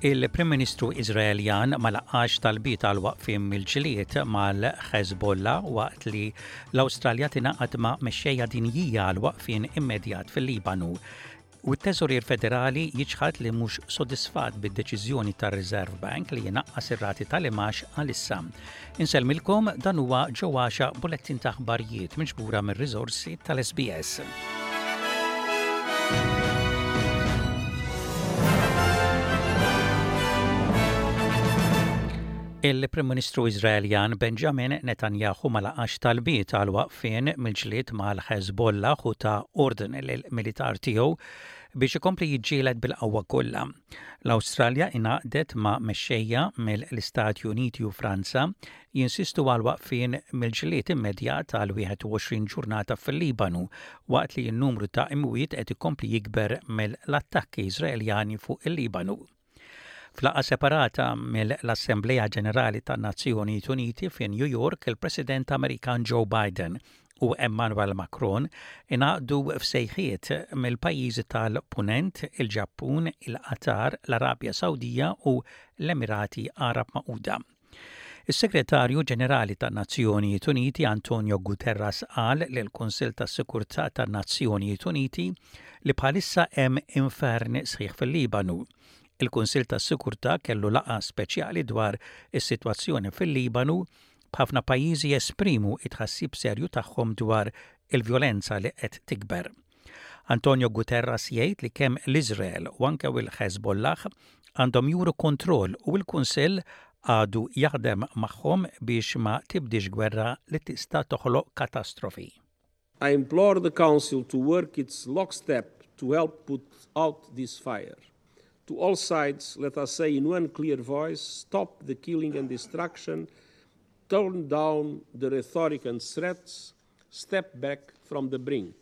Il-Prim Ministru Iżraeljan ma laqax talbiet għal waqfien mill-ġlied mal-Ħeżbollah waqt li l-Awstralja tingħaqad ma' mexxejja dinjija għal waqfien immedjat fil-Libanu. U t-Teżorier Federali jiċħad li mhux sodisfatt bid-deċiżjoni tar-Reserve Bank li jnaqqas ir-rati tal-imgħax għalissa. Insellmilkom dan huwa ġo għaxa bulettin ta' aħbarijiet miġbura mir-riżorsi tal-SBS. Il-Prim Ministru Iżraeljan Benjamin Netanyahu ma laqax talbiet għal waqfien mill-ġlied mal-Ħeżbollah u ta ordni lill-militar tiegħu biex ikompli jiġġieled bil-qawwa kollha. L-Awstralja ingħaqdet ma' mexxejja mill-Istati Uniti u Franza jinsistu għal waqfien mill-ġlied immedjat għal 21 ġurnata fil-Libanu waqt li n-numru ta' imwiet qed ikompli jikber mill-attakki Iżraeljani fuq il-Libanu. F'laqgħa separata mill-Assemblea Ġenerali tan-Nazzjonijiet Uniti fi New York, il-President Amerikan Joe Biden u Emmanuel Macron ingħaqdu f'sejħiet mill-pajjiżi tal-Punent, il-Ġappun, il-Qatar, l-Arabja Sawdija u l-Emirati Għarab Magħquda. Is-Segretarju Ġenerali tan-Nazzjonijiet Uniti Antonio Guterres qal lill-Kunsill tas-Sikurtà tan-Nazzjonijiet Uniti li bħalissa hemm infern sħiħ fil-Libanu. Il-Kunsill tas-Sikurtà kellu laqgħa speċjali dwar is-sitwazzjoni fil-Libanu, b'ħafna pajjiżi jesprimu t-tħassib serju tagħhom dwar il-vjolenza li qed tikber. Antonio Guterres jgħid li kemm l-Iżrael u anke l-Ħeżbollah għandhom juru kontroll u l-Kunsill għadu jaħdem magħhom biex ma tibdiex gwerra li tista' toħloq katastrofi. I implore the Council to work its lockstep to help put out this fire. To all sides, let us say in one clear voice, stop the killing and destruction, turn down the rhetoric and threats, step back from the brink.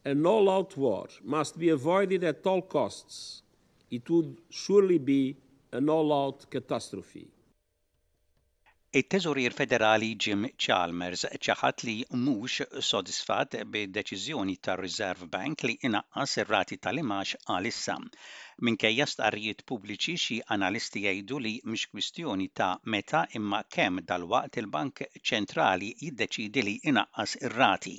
An all-out war must be avoided at all costs. It would surely be an all-out catastrophe. It-Teżorier Federali Jim Chalmers ċaħad li mhux sodisfatt bid-deċiżjoni tar-Reserve Bank li inaqqas ir-rati tal-imgħax għalissa. Minkejja stqarrijiet pubbliċi xi analisti jgħidu li mhix kwistjoni ta' meta imma kemm dalwaqt il-Bank Ċentrali jiddeċiedi li jnaqqas ir-rati.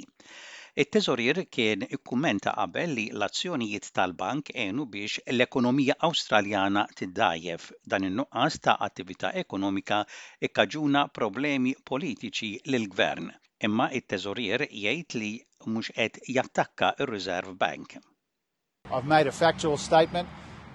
It-Teżorier kien ikkummenta qabel li l-azzjonijiet tal-bank għenu biex l-ekonomija Awstraljana tiddgħajjef. Dan in-nuqqas ta' attività ekonomika kkaġuna problemi politiċi lill-Gvern. Imma t-Teżorier jgħid li mhux qed jattakka r-Reserve Bank. I've made a factual statement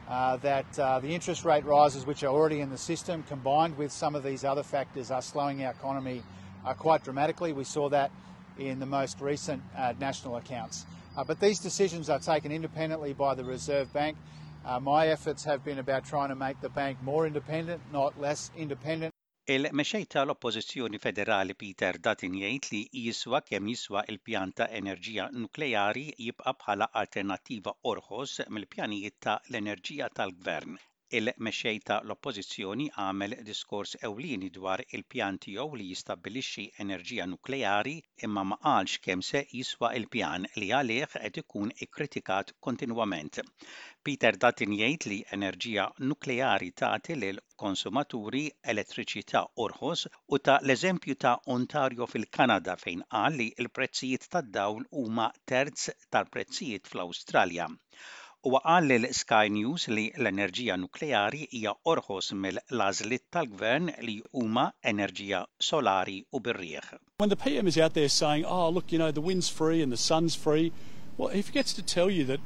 uh, that uh, the interest rate rises which are already in the system, combined with some of these other factors, are slowing our economy uh, quite dramatically. We saw that in the most recent uh, national accounts. Uh, but these decisions are taken independently by the Reserve Bank. Uh, my efforts have been about trying to make the bank more independent, not less independent. Il-Mexxej ta' l-Oppożizzjoni Federali Peter Dutton jgħid li jiswa kemm jiswa l-pjan ta' enerġija nukleari jibqa' bħala alternattiva orħos mill-pjanijiet ta' l-enerġija tal-Gvern. Il-Mexxej ta' l-Oppożizzjoni għamel diskors ewlieni dwar il-pjan tiegħu li jistabbilixxi enerġija nukleari imma ma qalx kemm se jiswa l-pjan li għalih qed ikun ikkritikat kontinwament. Peter Dutton jgħid li enerġija nukleari tagħti lil konsumaturi elettriċità orħos u ta l-eżempju ta' Ontario fil-Kanada fejn qal li l-prezzijiet tad-dawl huma terz tal-prezzijiet fl-Awstralja. Huwa qal lil Sky News li l-enerġija nukleari hija orħos mill-għażliet tal-Gvern li huma enerġija solari u bir-riħ. When the PM is out there saying, oh, look, you know, the wind's free and the sun's free, well, he forgets to tell you that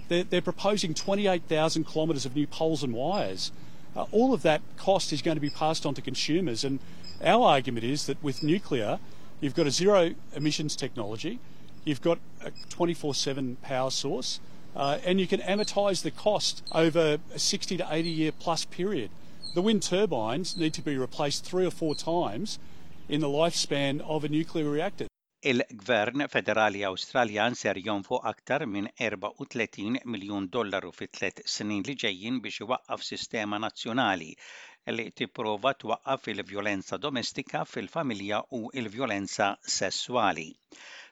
they're, they're proposing 28,000 kilometres of new poles and wires. Uh, all of that cost is going to be passed on to consumers. And our argument is that with nuclear, you've got a zero emissions technology, you've got a 24 7 power source, uh, and you can amortise the cost over a 60 to 80 year plus period. The wind turbines need to be replaced three or four times in the lifespan of a nuclear reactor. Il-Gvern Federali Awstraljan ser jonfoq aktar minn 34 miljun dollaru fit-tliet snin li ġejjin biex iwaqqaf sistema nazzjonali. li tipprova twaqqaf il-vjolenza domestika fil-familja u l-vjolenza sesswali.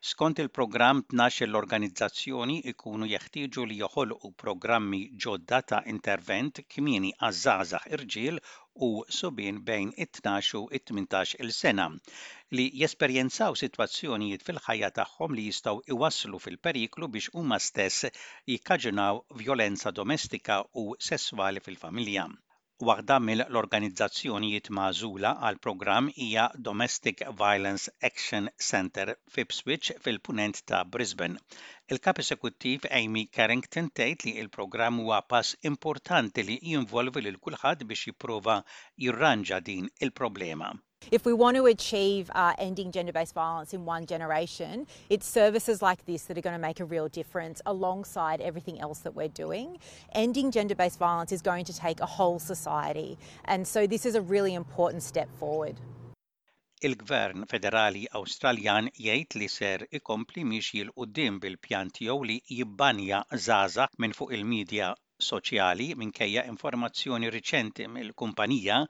Skont il-programm 12-il organizzazzjoni jkunu jeħtieġu li joħolqu programmi ġodda ta' intervent kmieni għaż-żgħażagħ irġiel u subien bejn it-tnax u t-tmintax il sena li jesperjenzaw sitwazzjonijiet fil-ħajja tagħhom li jistgħu jwasslu fil-periklu biex huma stess jikkaġunaw vjolenza domestika u sesswali fil-familja. Waħda mill-organizzazzjonijiet magħżula għall-programm hija Domestic Violence Action Centre f'Ipswich fil-Punent ta' Brisbane. Il-Kap Esekuttiv Amy Carrington tgħid li l-programm huwa pass importanti li jinvolvi lil kulħadd biex jipprova jirranġa din il-problema. If we want to achieve uh, ending gender-based violence in one generation, it's services like this that are going to make a real difference alongside everything else that we're doing. Ending gender-based violence is going to take a whole society, and so this is a really important step forward. Il-Gvern Federali Awstraljan jgħid li ser ikompli miexi 'l quddiem bil-pjan tiegħu li jibbanja żgħażagħ minn fuq il-midja soċjali minkejja informazzjoni riċenti mill-kumpanija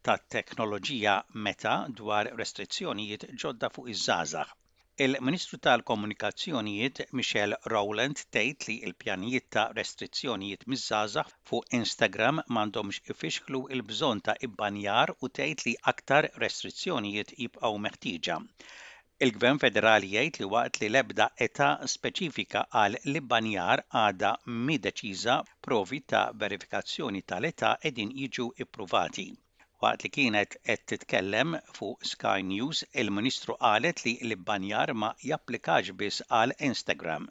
tat-teknoloġija Meta dwar restrizzjonijiet ġodda fuq iż-żgħażagħ. Il-Ministru tal-Komunikazzjonijiet Michelle Rowland tgħid li l-pjanijiet ta' restrizzjonijiet miż-żgħażagħ fuq Instagram m'għandhomx ifixklu l-bżonn ta' ibbanjar u tgħid li aktar restrizzjonijiet jibqgħu meħtieġa. Il-Gvern Federali jgħid li waqt li l-ebda età speċifika għal l-ibbanjar għadha mhi deċiża, provi ta' verifikazzjoni tal-età qegħdin jiġu ppruvati. Waqt li kienet qed titkellem fuq Sky News, il-Ministru qalet li l-ibbanjar ma japplikax biss għal Instagram.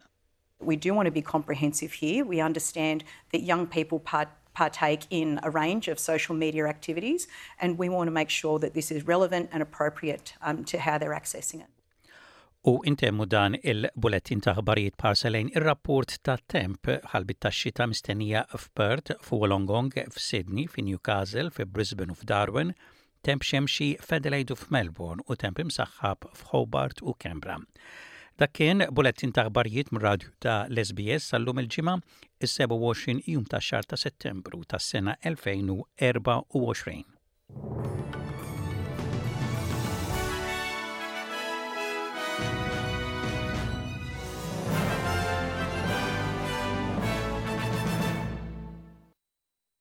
We do want to be comprehensive here. We understand that young people part partake in a range of social media activities and we want to make sure that this is relevant and appropriate um, to how they're accessing it. U intemmu dan il-bulettin ta' ħbarijiet b'ħarsa lejn ir-rapport ta' temp ħalbit tax-xita mistennija f'Perth, f'Wollongong, f'Sydney, fi Newcastle, fi Brisbane u f'Darwin, Temp xemxi f'Adelaide u f'Melbourne u temp imsaħħab f'Hobart u Canberra. Dak kien bulettin ta' aħbarijiet mir-radju ta' l-SBS sal-lum il-Ġimgħa, is-27 jum tax-xahar ta' Settembru tas-sena 2024.